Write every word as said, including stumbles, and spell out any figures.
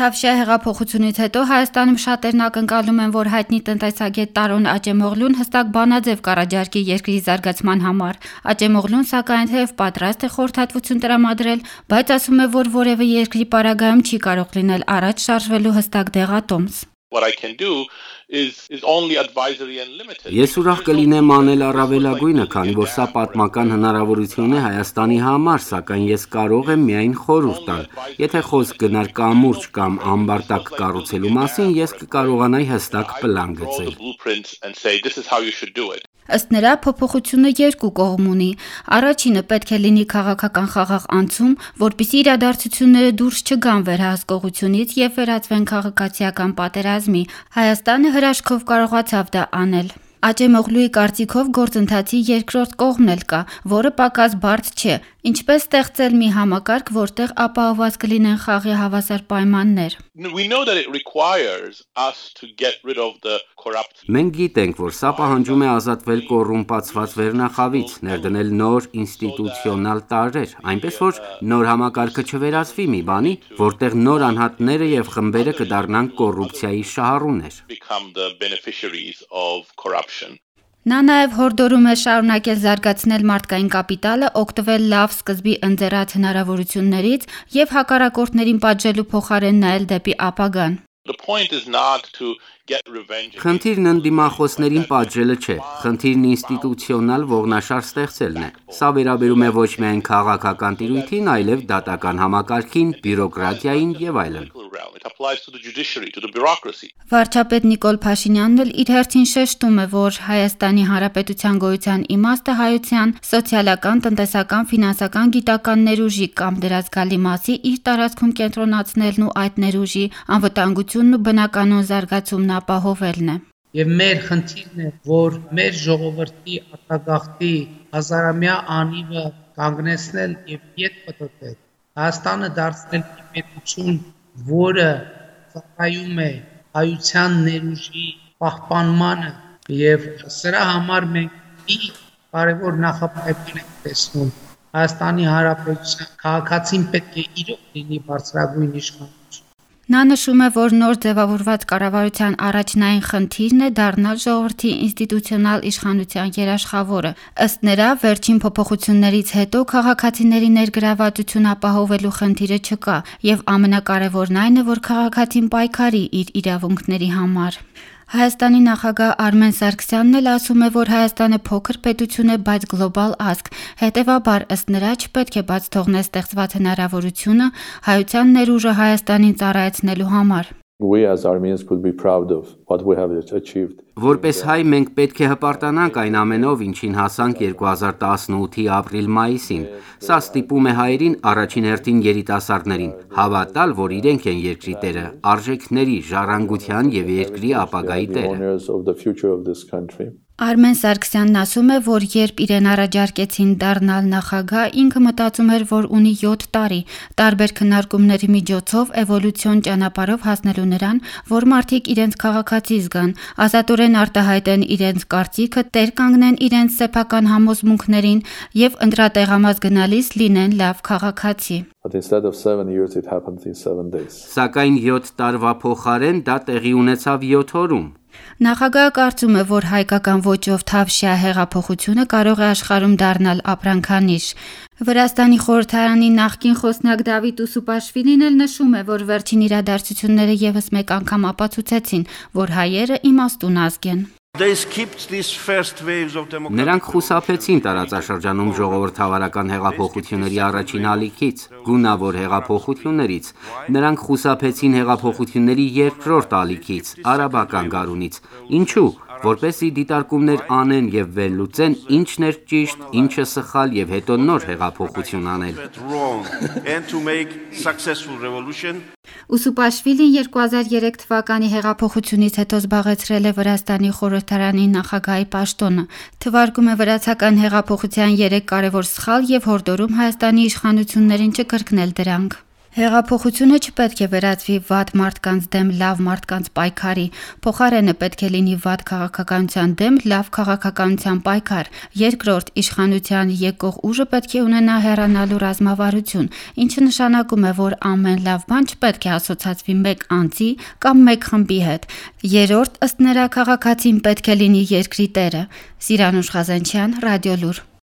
Թավշյա հեղափոխությունից հետո Հայաստանում շատերն ակնկալում են, որ հայտնի տնտեսագետ Տարոն Աճեմօղլուն հստակ բանաձև կառաջարկի երկրի զարգացման համար։ Աճեմօղլուն սակայն թեև պատրաստ է խորհրդատվություն տրամադրել, բայց ասում է, որ որևէ երկրի պարագայում չի կարող լինել առաջ շարժվելու հստակ դեղատոմս։ What I can do is is only advisory and limited. Ես ուրախ կլինեմ անել առավելագույնը, քանի որ սա պատմական հնարավորություն է Հայաստանի համար, սակայն ես կարող եմ միայն խորհուրդ տալ։ Եթե խոսք գնար կամուրջ կամ ամբարտակ կառուցելու մասին, ես կկարողանայի հստակ պլան գծել։ Ըստ նրա, փոփոխությունը երկու կողմ ունի։ Առաջինը պետք է լինի քաղաքական խաղաղ անցում, որպեսզի իրադարձությունները դուրս չգան վերահսկողությունից եւ վերածվեն քաղաքացիական պատերազմի։ Հայաստանը հրաշքով կարողացավ դա անել։ Աճեմօղլուի կարծիքով գործընթացի երկրորդ կողմն էլ կա, որը պակաս բարդ չէ։ Ինչպես ստեղծել մի համակարգ, որտեղ ապահովված կլինեն խաղի հավասար պայմաններ։ Մենք գիտենք, որ սա պահանջում է ազատվել կոռումպացված վերնախավից, ներդնել նոր ինստիտուցիոնալ տարրեր, այնպես որ նոր համակարգը չվերածվի մի բանի, որտեղ նոր անհատները եւ խմբերը կդառնան կոռուպցիայի շահառուներ։ Նա նաև հորդորում է շարունակել զարգացնել մարդկային կապիտալը, օգտվել լավ սկզբի ընձեռած հնարավորություններից եւ հակառակորդներին պատժելու փոխարեն նայել դեպի ապագան։ Խնդիրն ընդդիմախոսներին պատժելը չէ, խնդիրն ինստիտուցիոնալ ողնաշար ստեղծելն է։ Սա վերաբերում է ոչ միայն քաղաքական տիրույթին, այլև դատական համակարգին, բյուրոկրատիային եւ այլն։ Վարչապետ Նիկոլ Փաշինյանն էլ իր հերթին շեշտում է, որ Հայաստանի Հանրապետության գոյության իմաստը հայության սոցիալական, տնտեսական, ֆինանսական, գիտական ներուժի կամ դրա զգալի մասի իր տարածքում կենտրոնացնելն ու այդ ներուժի անվտանգությունն ու բնականոն զարգացումն ապահովելն է։ Եվ մեր խնդիրն է, որ մեր ժողովրդի արտագաղթի հազարամյա անիվը կանգնեցնել եւ ետ պտտել։ Հայաստանը դարձնել մի պետություն, որը ծառայում է հայության ներուժի պահպանմանը եւ սրա համար մենք մի կարևոր նախապայման ենք տեսնում։ Հայաստանի Հանրապետության քաղաքացին պետք է իրոք լինի բարձրագույն իշխանություն։ Նա նշում է, որ նոր ձևավորված կառավարության առաջնային խնդիրն է դառնալ ժողովրդի ինստիտուցիոնալ իշխանության երաշխավորը։ Ըստ նրա, վերջին փոփոխություններից հետո քաղաքացիների ներգրավվածություն ապահովելու խնդիրը չկա, եւ ամենակարևորն այն է, որ քաղաքացին պայքարի իր իրավունքների համար։ Հայաստանի նախագահ Արմեն Սարգսյանն էլ ասում է, որ Հայաստանը փոքր պետություն է, բայց գլոբալ ազգ։ Հետևաբար, ըստ նրա, չպետք է բաց թողնել ստեղծված հնարավորությունը հայության ներուժը Հայաստանին ծառայեցնելու համար։ We as Armenians could be proud of what we have achieved. Որպես հայ մենք պետք է հպարտանանք այն ամենով, ինչին հասանք երկու հազար տասնութի ապրիլ-մայիսին։ Սա ստիպում է հայերին առաջին հերթին երիտասարդներին հավատալ, որ իրենք են երկրի տերը, արժեքների, ժառանգության եւ երկրի ապագայի տերը։ Արմեն Սարգսյանն ասում է, որ երբ իրեն առաջարկեցին դառնալ նախագահ, ինքը մտածում էր, որ ունի յոթ տարի, տարբեր քննարկումների միջոցով էվոլյուցիոն ճանապարհով հասնելու նրան, որ մարդիկ իրենց քաղաքացի զգան, ազատորեն արտահայտեն իրենց կարծիքը, տեր կանգնեն իրենց սեփական համոզմունքներին եւ ընտրատեղամաս գնալիս լինեն լավ քաղաքացի։ But instead of seven years it happened in seven days. Սակայն յոթ տարվա փոխարեն դա տեղի ունեցավ յոթ օրում։ Նախագահը կարծում է, որ հայկական ոճով Թավշյա հեղափոխությունը կարող է աշխարհում դառնալ ապրանքանիշ։ Վրաստանի խորհրդարանի նախկին խոսնակ Դավիթ Ուսուպաշվիլին էլ նշում է, որ վերջին իրադարձությունները եւս մեկ անգամ ապացուցեցին, որ հայերը իմաստուն ազգ են։ Նրանք խուսափեցին տարածաշրջանում ժողովրդավարական հեղափոխությունների առաջին ալիքից, գունավոր հեղափոխություններից։ Նրանք խուսափեցին հեղափոխությունների երկրորդ ալիքից, արաբական գարունից։ Ինչու՞։ Որպեսզի դիտարկումներ անեն եւ վերլուծեն ինչն էր ճիշտ, ինչը սխալ եւ հետո նոր հեղափոխություն անել։ Ուսուպաշվիլին երկու հազար երեք թվականի հեղափոխությունից հետո զբաղեցրել է Վրաստանի խորհրդարանի նախագահի պաշտոնը։ Թվարկում է վրացական հեղափոխության երեք կարևոր սխալ եւ հորդորում Հայաստանի իշխանություններին չկրկնել դրանք։ Հեղափոխությունը չպետք է վերածվի վատ մարդկանց դեմ լավ մարդկանց պայքարի, փոխարենը պետք է լինի վատ քաղաքականության դեմ լավ քաղաքականության պայքար։ Երկրորդ, իշխանության եկող ուժը պետք է ունենա հեռանալու ռազմավարություն, ինչը նշանակում է, որ ամեն լավ բան չպետք է ասոցացվի մեկ անձի կամ մեկ խմբի հետ։ Երրորդ, ըստ նրա, քաղաքացին պետք է լինի երկրի տերը։ Սիրանուշ Ղազանչյան, Ռադիոլուր։